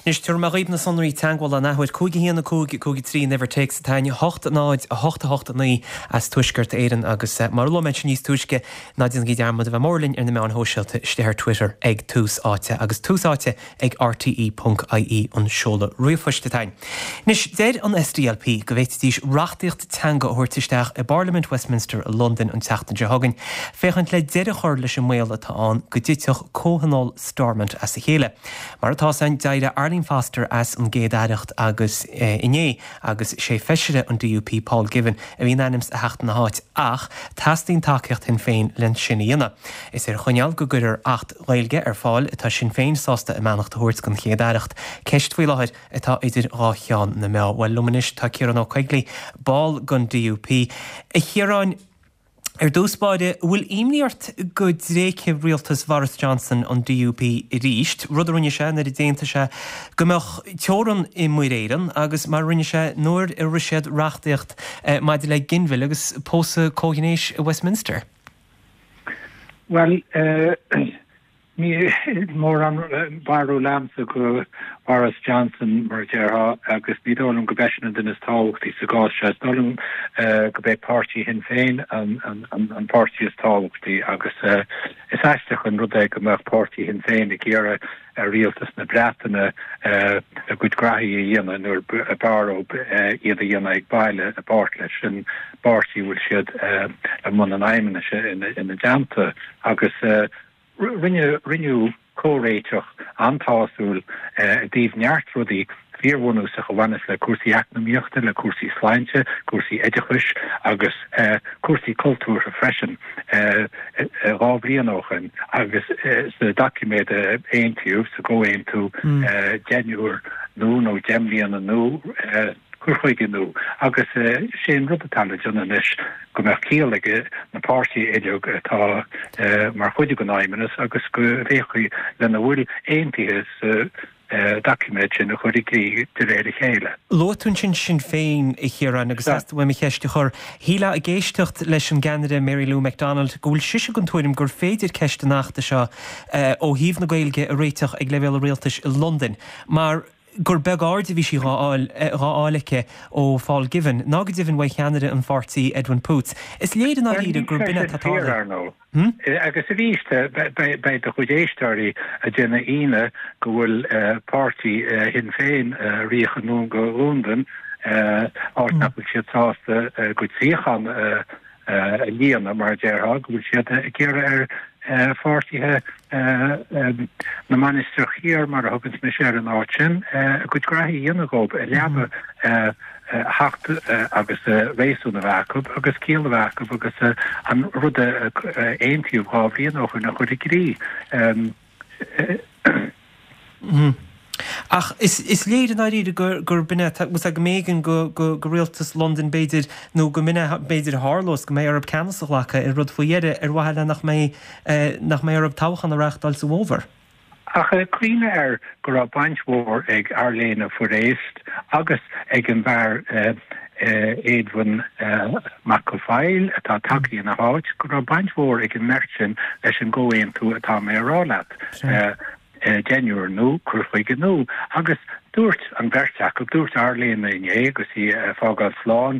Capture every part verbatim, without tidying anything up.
Anois tabharfaidh mé dhaoibh na sonraí teagmhála an athuair, cúig a haon a cúig cúig a trí an uimhir téacs atá ann, a hocht náid a hocht a hocht a naoi as Tuaisceart Éireann agus mar a luaigh mé ansin níos túisce, ná déanaigí dearmad a bheith mór linn ar na meáin shóisialta istigh ar Twitter ag Tús Áite agus Tús Áite ag R T E ponc I E an seoladh ríomhphoist atá ann. Anois deir an S D L P go bhféadfaidís reachtaíocht teanga a thabhairt isteach i bParlaimint Westminster i Londain an tseachtain seo chugainn, féachaint le deireadh a chur leis an mbaol atá ann go dtitfeadh comhthionól Stormont as a chéile. Mar atá san d'éirigh Arlene Foster as an gcéad-aireacht agus inné agus sé feisire an D U P Paul Givan a bhí in ainm is a theacht ina háit, ach teastaíonn tacaíocht Shinn Féin len sin a dhéanamh. Is ar choinníoll go gcuirfear Acht Gaeilge ar fáil atá Sinn Féin sásta a mbeannacht a thabhairt don chéad-aireacht. Ceist faoi láthair atá idir dhá cheann na meá. Bhuel, liom anois tá Ciarán Ó Coigligh, ball den D U P. A Chiaráin, ar dtús báire, bhfuil imní ort go dtréigfidh rialtas Boris Johnson an D U P arís, rud a rinne sé nuair a d'aontaigh sé go mbeadh teorainn i Muir Éireann agus mar rinne sé nuair a rith siad reachtaíocht maidir le ginmhilleadh agus pósadh comhghnéis i Westminster? Well, uh, ní mórán barúil agamsa go Boris Johnson, mar déarfá, agus ní dóigh liom gurb eisean an duine is tábhachtaí sa gcás seo. Is dóigh liom uh, go mbeidh páirtí Shinn Féin an, an, an, an páirtí is tábhachtaí agus uh, is aisteach an rud é go mbeadh páirtí Shinn Féin ag iarraidh ar rialtas na Breataine uh, a gcuid graithí a dhéanamh nuair b'fhearr uh, iad a dhéanamh ag baile i bpáirt leis an bpáirtí bhfuil siad uh, i mbun an fheidhmeannais ina, ina dteannta agus uh, rinne rinneadh comhréiteach an-sásúil i dtaobh neart rudaí fíorbhunúsach a bhaineas le cúrsaí eacnamaíochta, le cúrsaí sláinte, cúrsaí oideachais agus uh, cúrsaí cultúrtha freisin uh, dhá bhliain ó shin agus uh, sa doiciméad aontaíodh sa gcomhaontú mm. uh, deichniúr nó nó deich mbliana nó uh, cur chuige nua agus uh, sé an rud atá le déanamh anois go mbeadh ciall ag na páirtithe uilig atá uh, mar chuid den fheidhmeannas agus go bhféachfaí lena bhfuil aontaithe sa uh, doiciméad sin a chur i gcrích de réir a chéile. Luaigh tú sin Sinn Féin, a Chiaráin, agus bhfuil mé cheist a chur. Shílfeá ag éisteacht leis an gceannaire Mary Lou McDonald go bhfuil sise den tuairim gur féidir ceist an achta seo uh, ó thaobh na Gaeilge a réiteach ag leibhéal rialtais i Londain, mar gur beag aird a bhí sí dhá fháil aici ó Paul Givan, ná go deimhin ó cheannaire an pháirtí Edwin Poots. Is léir an ríide gur binne tá. Hmm? Agus arís beidh do chuid éisteoirí ag déanamh ionadh go bhfuil páirtí Shinn Féin ríocha nó go Londain áit nach bhfuil siad sásta go suíochán a líonadh, mar déarfá, go bhfuil siad ag iarraidh ar pháirtithe na Mainistreach Thiar, mar a thugann mise ar an áit sin, a gcuid graithí a dhéanamh dhóibh i leaba theacht agus réasún a bheith acu agus ciall a bheith acu agus an rud a aontaíodh dhá bhliain ó shin a chur i gcrích. Mm. Ach is, is léir an áiríre gur gur binne go mb'éigean go, go, go rialtas London b'fhéidir nó go mine b'fhéidir tharlós go mbeidh orthu ceannas a ghlacadh ar rud faoi dheireadh ar mhaithe le nach mbeidh eh, nach mbeidh orthu toghchán a reáchtáil sa bhfómhar. Ach cuimhnigh air go raibh baint mhór ag Arlene Fourest agus ag an bhfear uh, uh, Edwin uh, McElfoyle atá tagtha ina háit, go raibh baint mhór ag an mbeirt sin leis an gcomhaontú atá mé a rá leat. Uh, deichniúr nó cur chuige nua agus dúirt an bheirt acu, dúirt Arlene inné agus í fágáil slán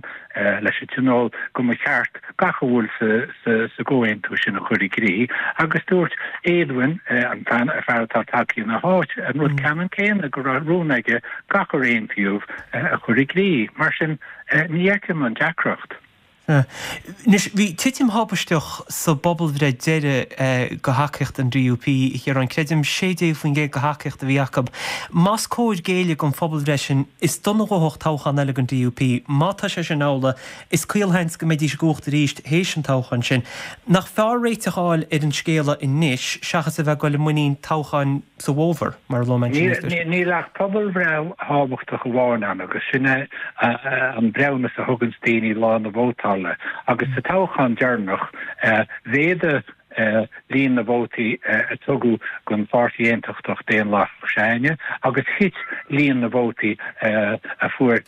leis an tionól, go mba cheart gach a bhfuil sa gcomhaontú sin a chur i gcrích agus dúirt Edwin, an fear atá tagtha ina háit, an rud ceannann céanna, go raibh rún aige gach ar aontaíodh a chur i gcrích. Mar sin ní fheicim an deacracht. Anois bhí titim thubaisteach sa bpobalbhreith deiridh go thacaíocht an D U P ar an creidim sé déag faoin gcéad go thacaíocht a bhí acu. Más cóir géilleadh don phobalbhreith sin, is dona dhóthach toghchán eile don D U P. Má tá sé sin amhlaidh, is caolsheans go mbeidís i gcumhacht arís théis an toghchán sin. Nach fearr réiteach a fháil ar an scéala anois seachas a bheith ag dul i muinín toghcháin sa bhfómhar mar lo Níl ach pobalbhreith thábhachtach amháin ann agus sin é an breithiúnas a thugann daoine lá na vótála agus sa toghchán deireanach mhéadaigh líon na vótaí a tugadh don Pháirtí Aontachtach Daonlathach s'againne agus thit líon na vótaí a fuair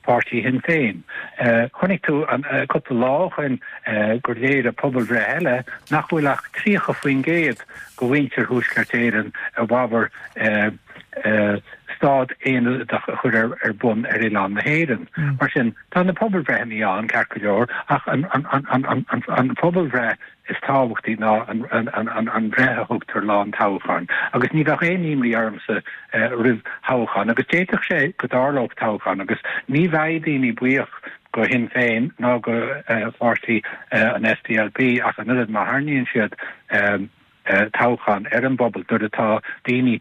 páirtí Shinn Féin. Chonaic tú an cúpla lá ó shin gur léirigh pobalbhreith eile nach bhfuil ach tríocha faoin gcéad de mhuintir Thuaisceart Éireann i bhfabhar stát aonadach a chur ar bun ar oileán na hÉireann. Mar sin, tá na pobalbhreitheanna ann, ceart go leor, ach an phobalbhreith is tábhachtaí ná an bhreith a thugtar lá an toghcháin. Agus ní bheadh aon imní ormsa roimh thoghchán, agus d'fhéadfadh sé go dtarlódh toghchán, agus ní bheidh daoine buíoch go Shinn Féin ná go pháirtí an S D L P ach an oiread má tharraingíonn siad toghchán ar an bpobal nuair atá daoine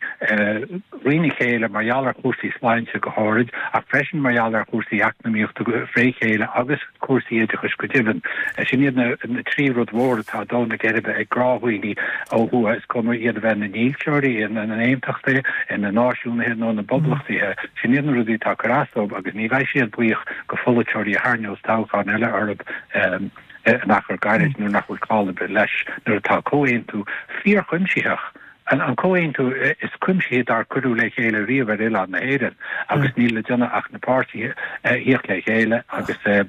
thrína chéile mar gheall ar chúrsaí sláinte go háirid, ach freisin mar gheall ar chúrsaí eacnamaíochta fré chéile agus cúrsaí oideachais go deimhin. Sin iad na trí rud mhór atá ag dó na geirbe ag gnáthdhaoine ó thuaidh, is cuma iad a bheith ina ndílseoirí, ina n-aontachtaithe, ina náisiúnaithe nó ina bpoblachtaithe. Sin iad na rudaí atá ag cur as dóibh agus ní bheidh siad buíoch go pholaiteoirí a tharraingeos toghchán eile orthu in achar gairid nuair nach bhfuil call ar bith leis nuair atá comhaontú fíorchuimsitheach, an an comhaontú is cuimsithí dár cuireadh le chéile riamh ar oileán na hÉireann, agus níl le déanamh ach na páirtithe a thíocht le chéile agus a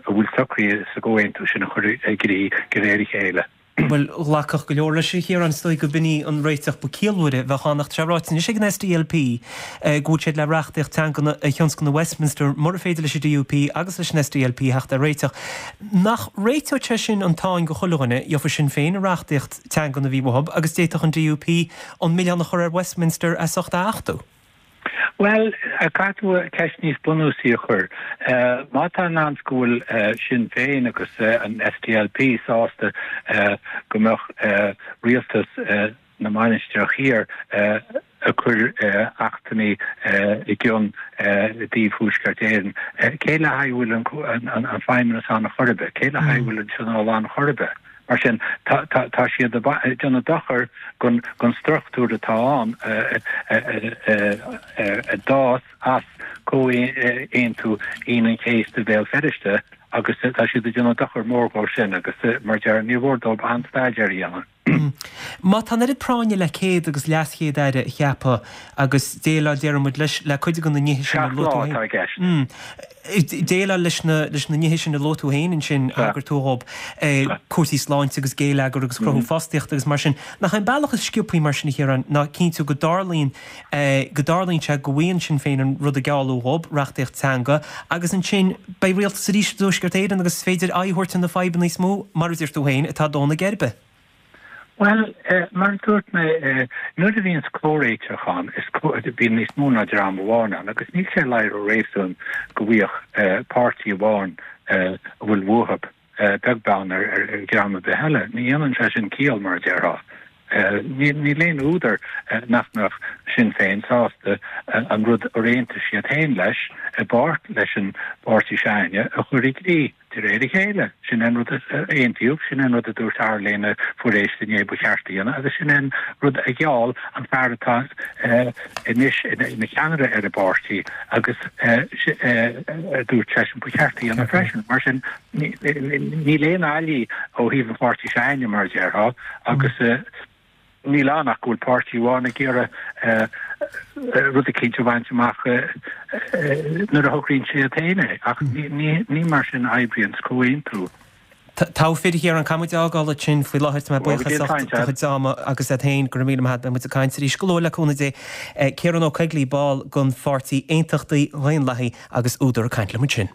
bhfuil socraithe sa gcomhaontú sin a chur i gcrích de réir a chéile. Bhuel, ghlacfadh go leor leis, a Chiaráin, is dóigh go b'in í an réiteach ba ciallmhaire a bheadh ann, ach tá sé ráite anois ag an S D L P go bhfuil siad le reachtaíocht teangan a thionscnamh Westminster mura féidir leis an D U P agus leis an S D L P theacht ar réiteach. Nach réiteodh sé sin an tsáinn go chuile dhuine, gheofa Sinn Féin an reachtaíocht teangan a bhí uathu agus d'fhéadfadh an D U P an milleán a chur ar Westminster as ucht a achtú? Bhuel, caithfidh tú ceist níos bunúsaí a chur. Má tá an seans go bhfuil Sinn Féin agus an S D L P sásta go mbeadh rialtas na Mainistreach Thiar ag cur achtanna i gcionn i dtaobh Thuaisceart Éireann, cé le haghaidh bhfuil an feidhmeannas ann chor ar bith, cé le haghaidh bhfuil an tionól ann chor ar bith? Mar sin, tá siad ag déanamh dochar don struchtúr atá ann a d'fhás as Comhaontú Aoine an Chéasta Bhéal Feirste agus tá siad ag déanamh dochar mór dó sin agus mar deir ní mhór dóibh an-staidéar a dhéanamh. Má tá an oiread práinne le céad agus leaschéad aire a cheapadh agus déileáil, déarfaidh muid, leis le cuid de na nithe sin a luaigh tú féin. Déileáil leis na leis na nithe sin a luaigh tú féin ansin, thagair tú dhóibh, cúrsaí sláinte agus géilleagar agus cruthú fostaíochta agus mar sin. Nach é an bealach is sciobthaí mar sin, a Chiaráin, ná cinntiú go dtarlaíonn go dtarlaíonn sé go bhfaigheann Sinn Féin an rud a gealladh dhóibh, reachtaíocht teanga, agus ansin beidh rialtas arís i dTuaisceart Éireann agus is féidir aghaidh a thabhairt ar na fadhbanna níos mó, mar a deir tú féin, atá ag dó na geirbe. Bhuel, mar a dúirt mé, nuair a bhíonns comhréiteach ann, is bíonn níos mó ná dream amháin ann, agus níl sé le rá réasún go bhfaigheadh páirtí amháin a bhfuil uathu beag beann ar dhream ar bith eile. Ní dhéanann sé sin ciall, mar a déarfá. Níl aon údar nach mbeadh Sinn Féin sásta an rud ar aontaigh siad féin leis i bpáirt leis an bpáirtí s'againne a chur i gcrích de réir a chéile. Sin an rud a aontaíodh, sin an rud a dúirt Arlene Fourest inné ba cheart a dhéanamh, agus sin an rud a gheall an fear atá anois ina cheannaire ar an bpáirtí agus a dúirt seisean ba cheart a dhéanamh freisin. Mar sin, níl aon fhaillí ó thaobh an pháirtí s'againne, mar a déarfá, agus níl ann ach go bhfuil páirtí amháin ag iarraidh rud eicínt a bhaint amach nuair a shocraíonn siad féin é, ach ní mar sin a oibríonn comhaontú. Togha fir, a Chiaráin, caithfidh muid é a fhágáil ansin faoi láthair. Tá mé buíoch as ucht do chuid ama agus duit féin, go raibh míle maith agat. Beidh muid ag caint arís go luath le cúnamh Dé. Ciarán Ó Coigligh, ball den Pháirtí Aontachtaí Dhaonlathaí agus údar ag caint liom ansin.